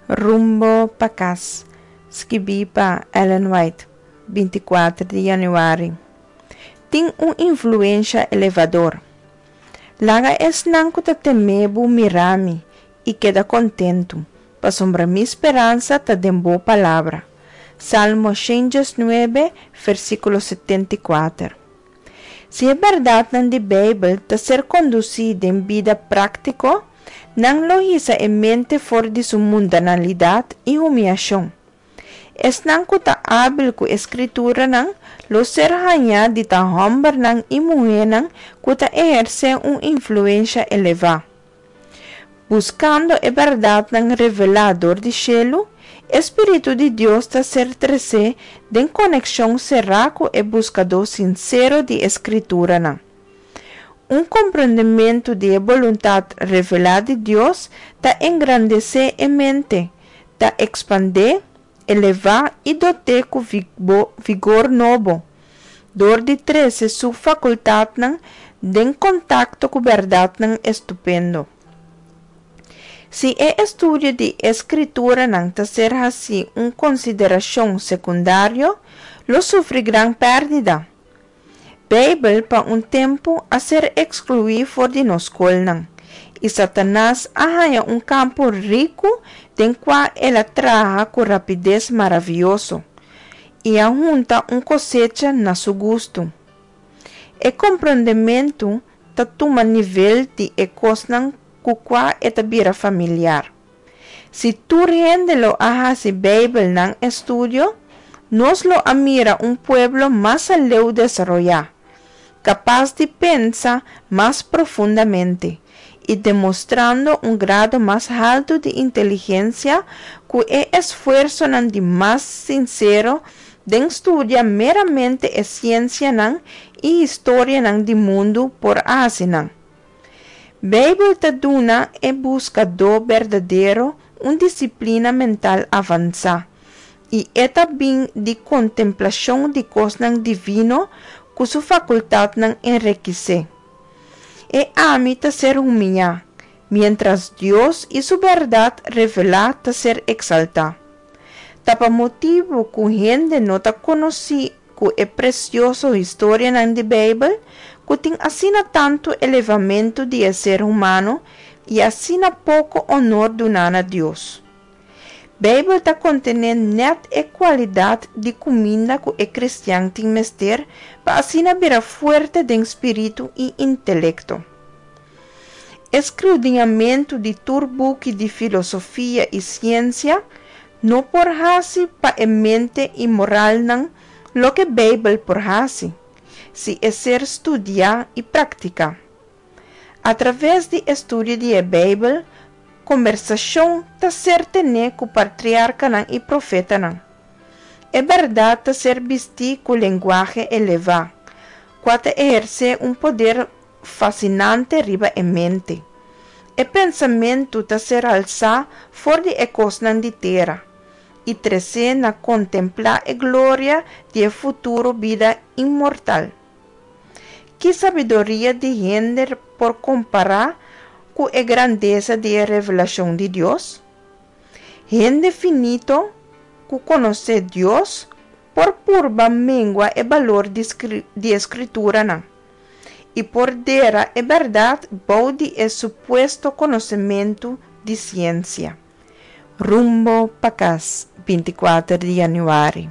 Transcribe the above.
Rumbo pa kas, skibí pa Ellen White, 24 di yanüari. Tin un influensha elevador. Laga esnan ku ta teme bo mira mi i keda kontentu, pasobra mi speransa ta den bo palabra. Salmo 119, versíkulo 74. Si e bèrdatnan di Beibel ta ser kondusí den bida práktiko, nan lo hisa e mente for di su mundanalidat i humiashon. Esnan ku ta ábil ku e Skrituranan lo ser hañá di ta hòmbernan i muhénan ku ta ehersé un influensha elevá. Buskando e bèrdatnan revelá dor di shelu, e spiritu di Dios ta ser tresé den konekshon será ku e buskadó sinsero di e Skrituranan. Un komprondementu di e boluntat revelá di Dios ta engrandesé e mente, ta ekspandé, elevá i dot'é ku vigor nobo, dor di trese su fakultatnan den kontakto ku bèrdatnan estupendo. Si e estudio di e Skrituranan ta ser hasí un konsiderashon sekundario, lo sufri gran pèrdida. Beibel pa un tempu a ser ekskluí for di nos skolnan, i Satanas a haña un kampo riku den kua el a traha ku rapides maravioso i a hunta un kosecha na su gustu. E komprondementu ta tuma nivel di e kosnan ku kua e ta bira familiar. Si tur hende lo a hasi Beibel nan estudio, nos lo a mira un pueblo mas aleu desaroyá, kapas di pensa mas profundamente i demostrando un grado mas haltu di inteligensia ku e esfuersonan di mas sinsero den studia meramente e siensianan i historianan di mundu por a hasi nan. Beibel ta duna e buskadó berdadero un disiplina mental avansá, i e ta bin di kontemplashon di kosnan divino ku su fakultatnan enrekisé. E ami ta ser humiyá, miéntras Dios i su bèrdat revelá ta ser eksaltá. Ta pa motibu ku hende no ta konosí ku e presioso historianan di Beibel ku tin asina tantu elevamentu di e ser humano i asina poko onor duná na Dios. Beibel ta kontené nèt e kualidat di kuminda ku e kristian tin mester pa asina bira fuerte den spiritu i intelekto. E skrudiñamentu di tur buki di filosofia i siensia no por hasi pa e mente i moralnan loke Beibel por hasi, si e ser studiá i praktiká. Atraves di estudio di e Beibel, kombersashon ta ser tené ku patriarkanan i profetanan. E bèrdat ta ser bistí ku lenguahe elevá, kua ta ehersé un poder fasinante riba e mente. E pensamentu ta ser alsá for di e kosnan di tera i tresé na kontemplá e gloria di e futuro bida inmortal. Ki sabiduria di hende por kompará ku e grandesa di e revelashon di Dios? Hende finito ku konosé Dios por purba mengua e balor di e Skrituranan i por dera e bèrdat bou di e supuesto konosementu di siensia. Rumbo pa kas, 24 di yanüari.